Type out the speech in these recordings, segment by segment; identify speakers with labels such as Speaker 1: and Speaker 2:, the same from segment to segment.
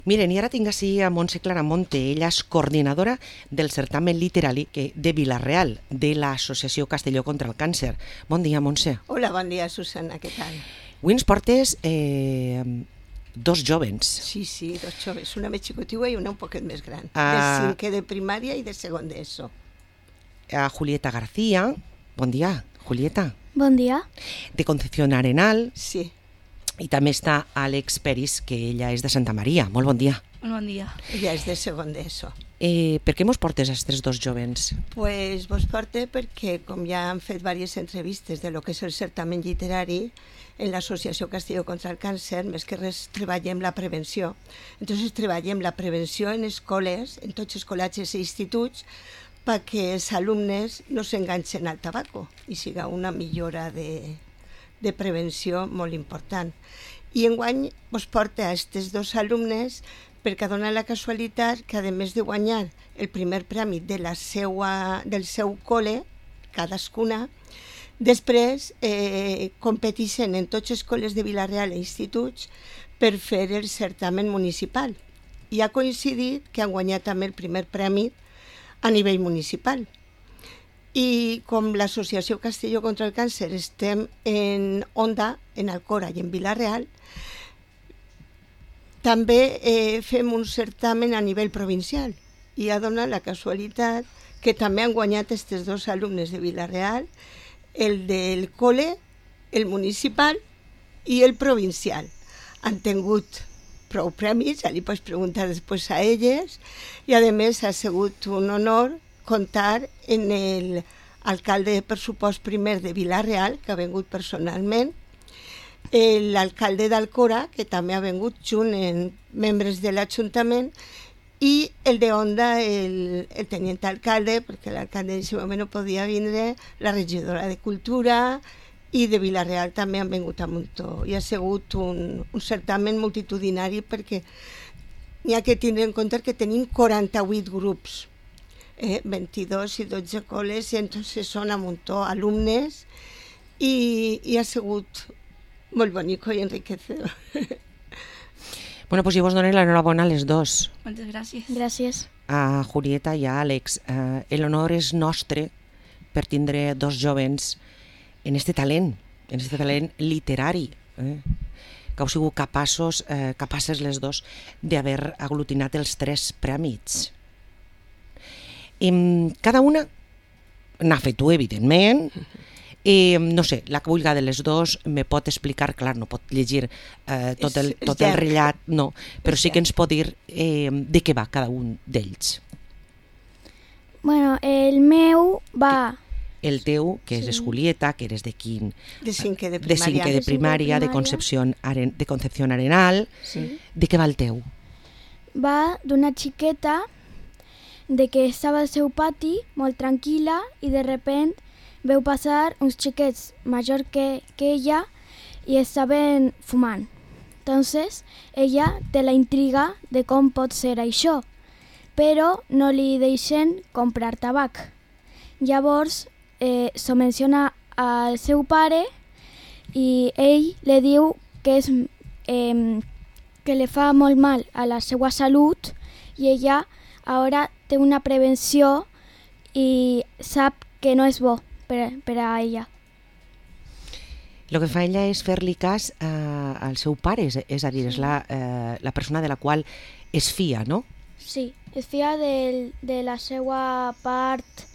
Speaker 1: Miren, i ara tinc així a Montse Claramonte. Ella és coordinadora del certamen literari de Vila-real, de l'Associació Castelló contra el Càncer. Bon dia, Montse.
Speaker 2: Hola, bon dia, Susana, què tal?
Speaker 1: Avui ens portes dos jovens.
Speaker 2: Sí, dos joves, una més xicotiua i una un poquet més gran, de cinquè de primària i de segon d'ESO.
Speaker 1: A Julieta García. Bon dia, Julieta.
Speaker 3: Bon dia.
Speaker 1: De Concepción Arenal.
Speaker 2: Sí.
Speaker 1: I també està Àlex Peris, que ella és de Santa Maria. Molt bon dia.
Speaker 3: Molt bon dia.
Speaker 2: Ella és de segon d'ESO.
Speaker 1: Per què mos portes a aquests dos jovens?
Speaker 2: Pues vos porte perquè, com ja han fet diverses entrevistes de lo que és el certamen literari, en l'Associació Castelló contra el Càncer, més que res treballem la prevenció. Entonces treballem la prevenció en escoles, en tots els col·legis i instituts, perquè els alumnes no s'enganxen al tabaco i siga una millora de prevenció molt important. I enguany vos porta a aquests dos alumnes perquè dona la casualitat que, a més de guanyar el primer premi del seu col·le, cadascuna, després competeixen en tots els col·les de Vila-real i instituts per fer el certamen municipal. I ha coincidit que han guanyat també el primer premi a nivell municipal. I com l'Associació Castelló contra el Càncer estem en Onda, en Alcora i en Vila-real, també fem un certamen a nivell provincial i ha donat la casualitat que també han guanyat aquests dos alumnes de Vila-real, el del col·le, el municipal i el provincial. Han tingut prou premis, ja li pots preguntar després a elles, i a més ha sigut un honor comptar en l'alcalde de pressupost primer de Vila-real, que ha vingut personalment, l'alcalde d'Alcora, que també ha vingut junt amb membres de l'Ajuntament, i el de Onda, el tenient alcalde, perquè l'alcalde en aquest moment no podia vindre, la regidora de Cultura, i de Vila-real també han vingut a muntó. I ha sigut un certamen multitudinari perquè n'hi ha que tindre en compte que tenim 48 grups, 22 i 12 col·les, i entonces són a muntó alumnes, i ha sigut molt bonico i enriquecedor.
Speaker 1: Bueno, pues jo vos dono l'enhorabona a les dos.
Speaker 3: Moltes gràcies.
Speaker 4: Gràcies.
Speaker 1: A Julieta i a Àlex. L'honor és nostre per tindre dos jovens en este talent literari, que heu sigut capaces les dos d'haver aglutinat els 3 prèmits. Cada una n'ha fet tu, evidentment. No sé, la que vulgui de les dos me pot explicar, clar, no pot llegir tot el rellat, no, però sí que ens pot dir de què va cada un d'ells.
Speaker 4: Bueno, el meu va...
Speaker 1: El teu, que és Julieta, que eres de quin?
Speaker 2: De cinquè de
Speaker 1: primària. De cinquè de primària, de Concepción Arenal.
Speaker 2: Sí.
Speaker 1: De què va el teu?
Speaker 4: Va d'una xiqueta de que estava al seu pati molt tranquil·la i de repent veu passar uns xiquets majors que ella i estaven fumant. Entonces, ella té la intriga de com pot ser això, però no li deixen comprar tabac. Llavors, s'ho menciona al seu pare i ell li diu que li fa molt mal a la seva salut i ella ara té una prevenció i sap que no és bo per a ella.
Speaker 1: El que fa ella és fer-li cas al seu pare, és a dir, és la persona de la qual es fia, no?
Speaker 4: Sí, es fia de la seva part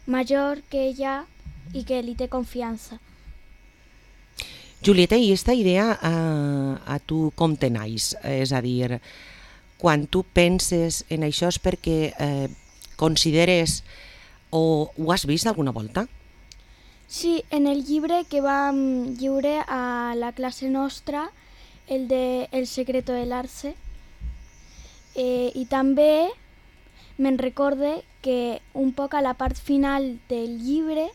Speaker 4: major que ella i que li té confiança.
Speaker 1: Julieta, i aquesta idea a tu com te naix? És a dir, quan tu penses en això és perquè consideres o ho has vist alguna volta?
Speaker 4: Sí, en el llibre que vam lliure a la classe nostra, el de El secreto del arce, i també me'n recorde que un poc a la part final del llibre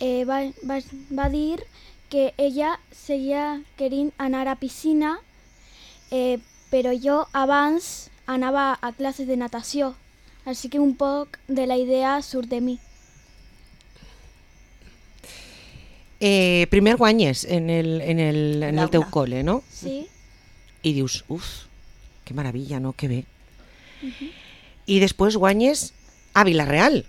Speaker 4: va dir que ella seguia querint anar a piscina, però jo abans anava a classes de natació, així que un poc de la idea surt de mi.
Speaker 1: Primer guanyes en el teu col·le, no?
Speaker 4: Sí.
Speaker 1: i dius, uf, que meravella, no? Que bé. I després guanyes a Vila-real.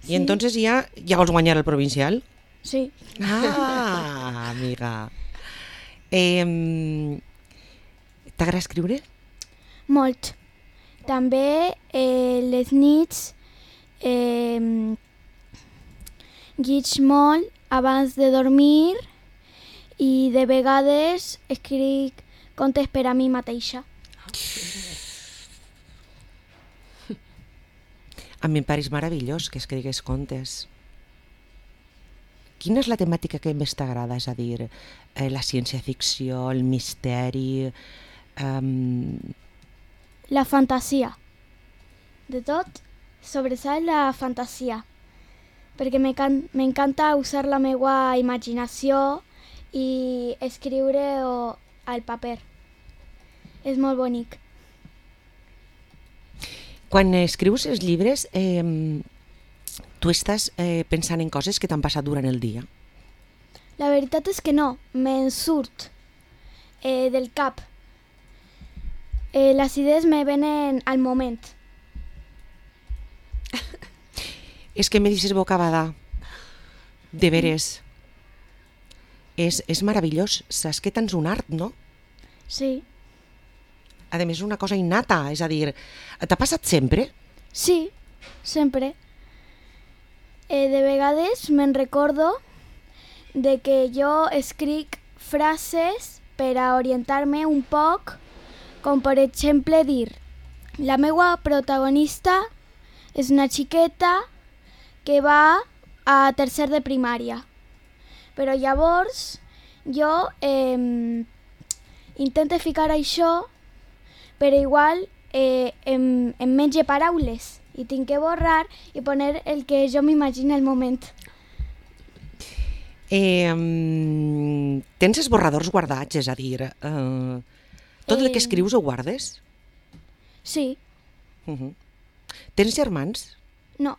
Speaker 4: Sí.
Speaker 1: I entonces ja vols guanyar el provincial?
Speaker 4: Sí.
Speaker 1: Ah, amiga. T'agrada escriure?
Speaker 4: Molt. També les nits lleig molt abans de dormir i de vegades escric contes per a mi mateixa.
Speaker 1: A mi em pareix meravellós que escrigues contes. Quina és la temàtica que més t'agrada? És a dir, la ciència-ficció, el misteri...
Speaker 4: La fantasia. De tot, sobresalt la fantasia. Perquè m'encanta usar la meva imaginació i escriure al paper. És molt bonic.
Speaker 1: Quan escrius els llibres, tu estàs pensant en coses que t'han passat durant el dia?
Speaker 4: La veritat és que no, me'n surt del cap. Les idees me venen al moment.
Speaker 1: És que me dices bocabada. De veres. És meravellós. Saps que tens un art, no?
Speaker 4: Sí.
Speaker 1: A més, és una cosa innata. És a dir, t'ha passat sempre?
Speaker 4: Sí, sempre. De vegades me'n recordo de que jo escric frases per a orientar-me un poc, com per exemple dir: la meva protagonista és una xiqueta que va a tercer de primària. Però llavors jo intento ficar això, però igual em menja paraules i tinc que borrar i poner el que jo m'imagino al moment.
Speaker 1: Tens esborradors guardats, és a dir, tot el que escrius ho guardes?
Speaker 4: Sí.
Speaker 1: Tens germans?
Speaker 4: No.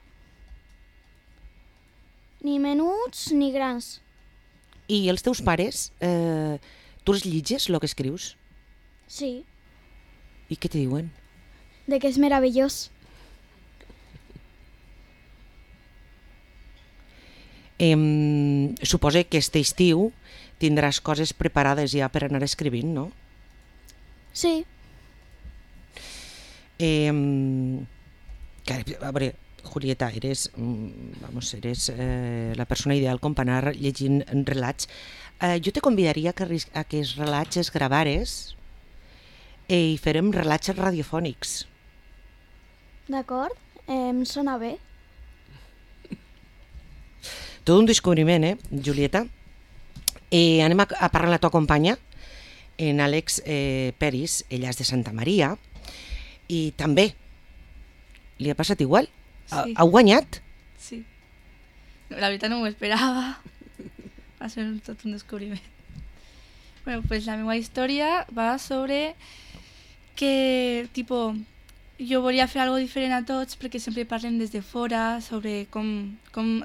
Speaker 4: Ni menuts ni grans.
Speaker 1: I els teus pares, tu els llitges, el que escrius?
Speaker 4: Sí.
Speaker 1: I què te diuen?
Speaker 4: De que és meravellós.
Speaker 1: Suposo que aquest estiu tindràs coses preparades ja per anar escrivint, no?
Speaker 4: Sí.
Speaker 1: A veure, Julieta, eres la persona ideal com per anar llegint relats. Jo te convidaria a que els relats es gravares i farem relats radiofònics.
Speaker 4: D'acord, em sona bé.
Speaker 1: Tot un descobriment, Julieta? Anem a parlar amb la tua companya, en Àlex Peris. Ella és de Santa Maria i també li ha passat igual.
Speaker 3: Sí.
Speaker 1: Ha guanyat?
Speaker 3: Sí. La veritat no m'ho esperava. Va ser tot un descobriment. Bueno, pues la meva història va sobre que, tipo, jo volia fer algo diferent a tots perquè sempre parlem des de fora sobre com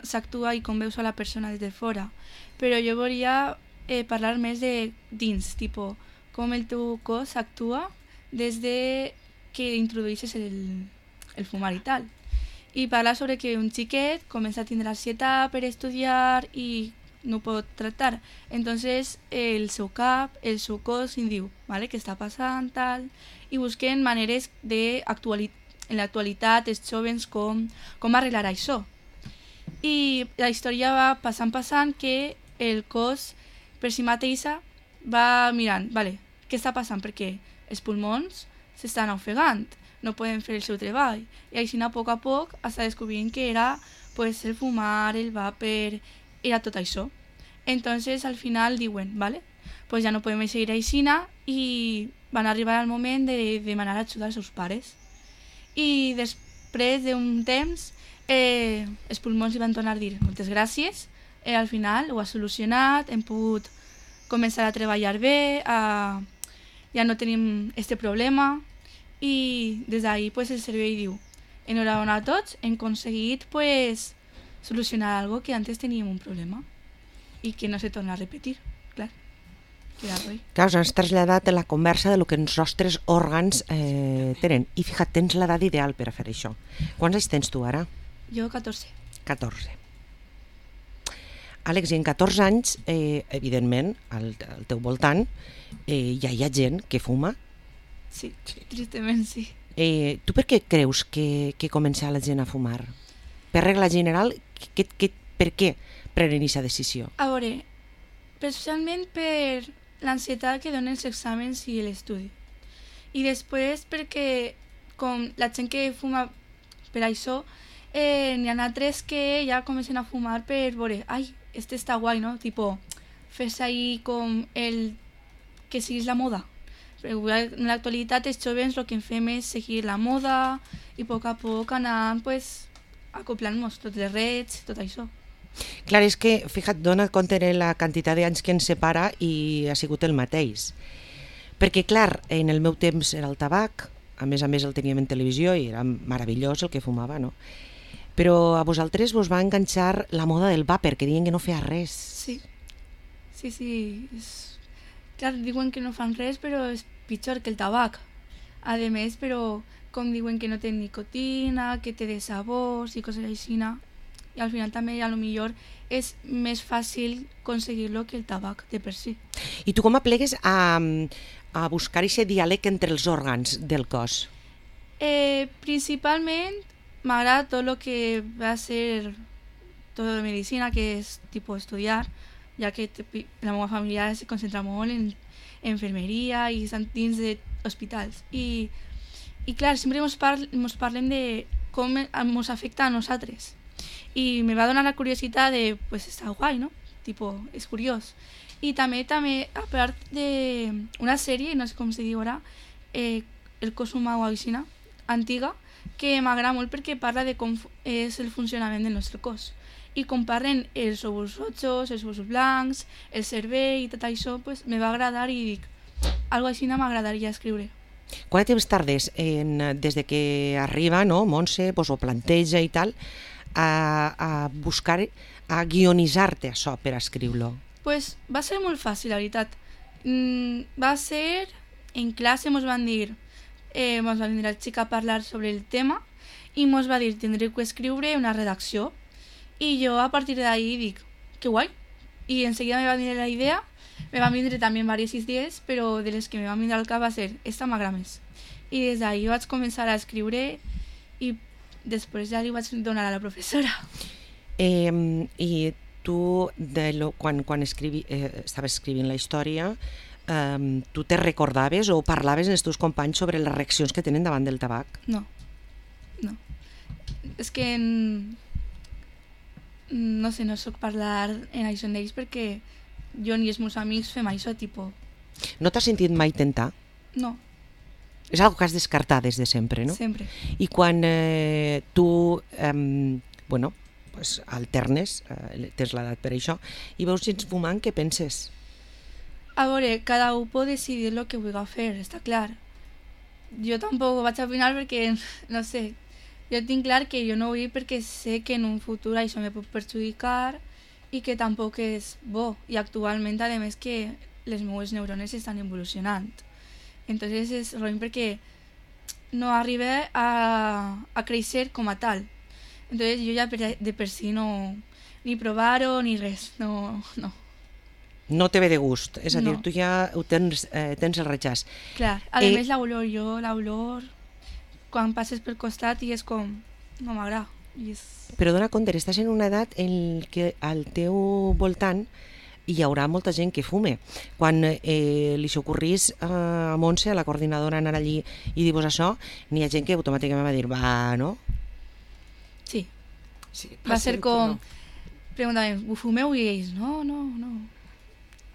Speaker 3: s'actua i com veus a la persona des de fora. Però jo volia parlar més de dins, tipo, com el teu cos actua des de que introduïsses el fumar i tal. I parlar sobre que un xiquet comença a tindre ansietat per estudiar i no pot tractar. Entonces el seu cap, el seu cos em diu, vale, què està passant, tal, i busquen maneres en l'actualitat els joves com arreglar això. I la història va passant que el cos per si mateixa va mirant, vale, què està passant? Perquè els pulmons s'estan ofegant, no poden fer el seu treball. I així a poc està descobrint que era pues, el fumar, el vapor, era tot això. Entonces al final diuen, vale, pues ja no podem seguir així i van arribar al moment de demanar ajuda als seus pares. I després d'un temps els pulmons li van tornar a dir moltes gràcies, al final ho ha solucionat, hem pogut començar a treballar bé, ja no tenim este problema. I des d'ahir pues, el servei diu, enhorabona a tots, hem aconseguit pues, solucionar algo que antes teníem un problema i que no se torna a repetir, clar. respirar-lo.
Speaker 1: Clar, us has traslladat la conversa de lo que els nostres òrgans tenen. I fixa't, tens l'edat ideal per a fer això. Quants anys tens tu ara?
Speaker 3: Jo 14.
Speaker 1: 14. Àlex, i en 14 anys, evidentment, al teu voltant, ja hi ha gent que fuma.
Speaker 3: Sí, tristament sí.
Speaker 1: Tu per què creus que comença la gent a fumar? Per regla general, per què prenen aquesta decisió?
Speaker 3: A veure, personalment per l'ansietat que donen els exàmens i l'estudi. I després perquè com la gent que fuma per això, n'hi ha altres que ja comencen a fumar per veure, ai, este està guai, no? Tipo, fes ahí com el que siguis la moda. Però en l'actualitat els joves el que fem és seguir la moda i a poc anar pues, acoplant-nos tots les redes, tot això.
Speaker 1: Clar, és que, fixa't, dona compte de la quantitat d'anys que ens separa i ha sigut el mateix. Perquè, clar, en el meu temps era el tabac, a més el teníem en televisió i era meravellós el que fumava, no? Però a vosaltres vos va enganxar la moda del vàper, que diuen que no feia res.
Speaker 3: Sí. Clar, diuen que no fan res, però és pitjor que el tabac. A més, però com diuen que no té nicotina, que té de sabors i coses així, i al final també a lo millor és més fàcil aconseguir-lo que el tabac de per si.
Speaker 1: I tu com aplegues a buscar aquest diàleg entre els òrgans del cos?
Speaker 3: Principalment m'agrada tot el que va ser tota la medicina, que és tipus estudiar, ja que la meva família se concentra molt en enfermeria i estan dins d'hospitals. I clar, sempre ens parlem de com ens afecta a nosaltres. I me va donar la curiositat de, pues està guai, no? Tipo, és curiós. I també, a part d'una sèrie, no sé com se diu ara, El cos humà o així, antiga, que m'agrada molt perquè parla de com és el funcionament del nostre cos. I com parlen els òvuls rojos, els òvuls blancs, el cervell i tot això, pues, me va agradar i dic, algo així m'agradaria escriure.
Speaker 1: Quant temps tardes des de que arriba, no, Montse, pues, ho planteja i tal, a buscar, a guionitzar-te això per escriure-lo?
Speaker 3: Pues va ser molt fàcil, la veritat. Va ser, en classe mos van dir el xic a parlar sobre el tema i mos va dir, tindreu que escriure una redacció. I jo a partir d'ahí dic, que guai. I enseguida me va venir la idea, me van vindre també diverses idees, però de les que me van vindre al cap va ser, esta m'agrada més. I des d'ahí vaig començar a escriure i després ja li vaig donar a la professora.
Speaker 1: I tu, quan estaves escrivint la història, tu te recordaves o parlaves amb els teus companys sobre les reaccions que tenen davant del tabac?
Speaker 3: No. És que no sé, no soc parlar en això amb ells perquè jo ni els meus amics fem això, tipo...
Speaker 1: No t'has sentit mai tentar?
Speaker 3: No.
Speaker 1: És algo que has descartat des de sempre, no?
Speaker 3: Sempre.
Speaker 1: I quan tu, pues, alternes, tens l'edat per això, i veus gent fumant, què penses?
Speaker 3: A veure, cada un pot decidir el que vulgui fer, està clar. Jo tampoc vaig a opinar perquè, no sé, jo tinc clar que jo no vull perquè sé que en un futur això me pot perjudicar i que tampoc és bo. I actualment, a més, que les meves neurones estan evolucionant. Entonces és roïn perquè no arriba a créixer com a tal. Entonces jo ja de per si no ni provar-ho ni res, no.
Speaker 1: No te ve de gust, és a dir,
Speaker 3: No.
Speaker 1: tu ja tens el rechaç.
Speaker 3: Clar, a més l'olor, quan passes pel costat i és com, no m'agrada.
Speaker 1: Però dona compte, estàs en una edat en què al teu voltant hi haurà molta gent que fume. Quan li s'ocorrís a Montse, a la coordinadora, anar allí i dir-vos això, n'hi ha gent que automàticament va dir, va, no?
Speaker 3: Sí,
Speaker 2: Sí,
Speaker 3: va ser com,
Speaker 2: no.
Speaker 3: preguntaven, ho fumeu? I ells, no.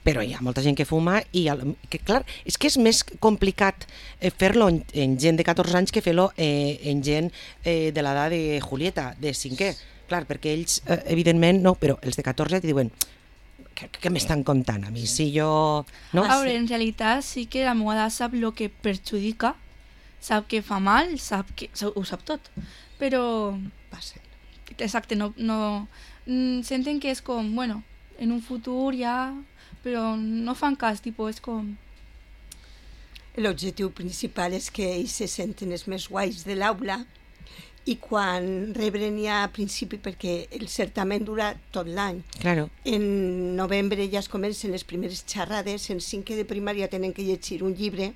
Speaker 1: Però hi ha molta gent que fuma i, que, clar, és que és més complicat fer-lo en gent de 14 anys que fer-lo en gent de l'edat de Julieta, de 5è. Clar, perquè ells, evidentment, no, però els de 14 ti diuen què m'estan contant a mi? Si jo... No?
Speaker 3: A veure, en realitat sí que la meva edat sap el que perjudica, sap que fa mal, ho sap tot, però... Exacte, no senten que és com, bueno, en un futur ja però no fan cas, tipus, és com...
Speaker 2: L'objectiu principal és que ells se senten els més guais de l'aula i quan rebren ja a principi, perquè el certamen dura tot l'any.
Speaker 1: Claro.
Speaker 2: En novembre ja es comencen les primeres xerrades, en 5è de primària tenen que llegir un llibre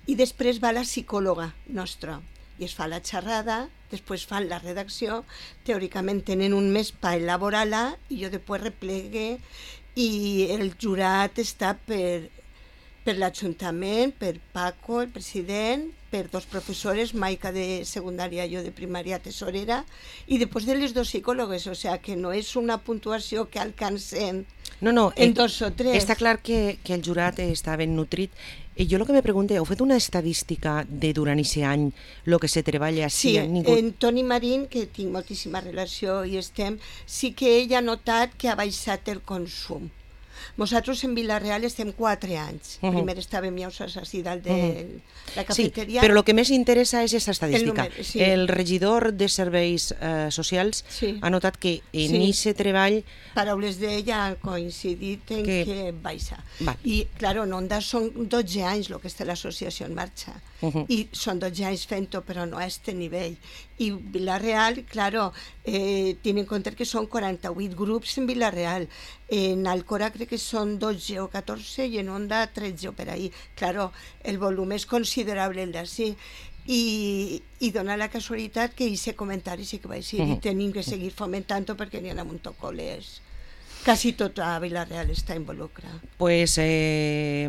Speaker 2: i després va la psicòloga nostra i es fa la xerrada, després fan la redacció, teòricament tenen un mes per elaborar-la i jo després replegue i el jurat està per l'Ajuntament, per Paco, el president, per 2 professores, Maica de secundària i jo de primària tesorera, i després de les 2 psicòlogues, o sigui que no és una puntuació que alcancen en 2 o 3.
Speaker 1: Està clar que el jurat està ben nutrit. Jo el que me pregunto, heu fet una estadística de durant aquest any el que se treballa?
Speaker 2: Sí, en Toni Marín, que tinc moltíssima relació i sí que ell ha notat que ha baixat el consum. Nosaltres en Vila-real estem 4 anys. Primer estàvem ja així dalt de la cafeteria.
Speaker 1: Sí, però el que més interessa és aquesta estadística.
Speaker 2: Sí.
Speaker 1: El regidor de Serveis Socials ha notat que en aquest treball...
Speaker 2: Paraules d'ella han coincidit en que baixa. I, clar, en Onda són 12 anys el que està l'associació en marxa. I són 12 anys fent-ho, però no a aquest nivell. I Vila-real, clar, ten en compte que són 48 grups en Vila-real. En Alcora crec que són 12 o 14 i en Onda 13 o per ahí. Claro, el volum és considerable el d'ací. I dona la casualitat que aquest comentari sí que va ser i tenim que seguir fomentant-ho perquè n'hi ha un tocoles. Quasi tota Vila-real està involucrada.
Speaker 1: Pues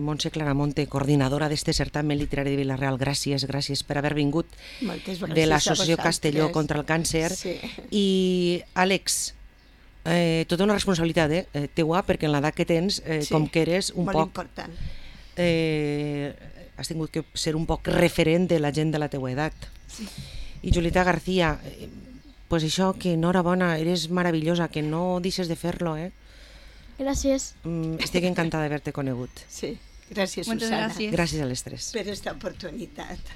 Speaker 1: Montse Claramonte, coordinadora d'este certamen literari de Vila-real, gràcies per haver vingut de l'Associació Castelló contra el Càncer. I Àlex, tota una responsabilitat teua, perquè en l'edat que tens, com que eres un poc...
Speaker 2: Molt important.
Speaker 1: Has tingut que ser un poc referent de la gent de la teua edat. I Julieta García, pues això, que enhorabona, eres meravellosa, que no deixes de fer-lo,
Speaker 4: Gràcies.
Speaker 1: Estic encantada d'haver-te conegut.
Speaker 2: Sí, gràcies, Susana.
Speaker 3: Gràcies.
Speaker 1: Gràcies a les 3.
Speaker 2: Per aquesta oportunitat.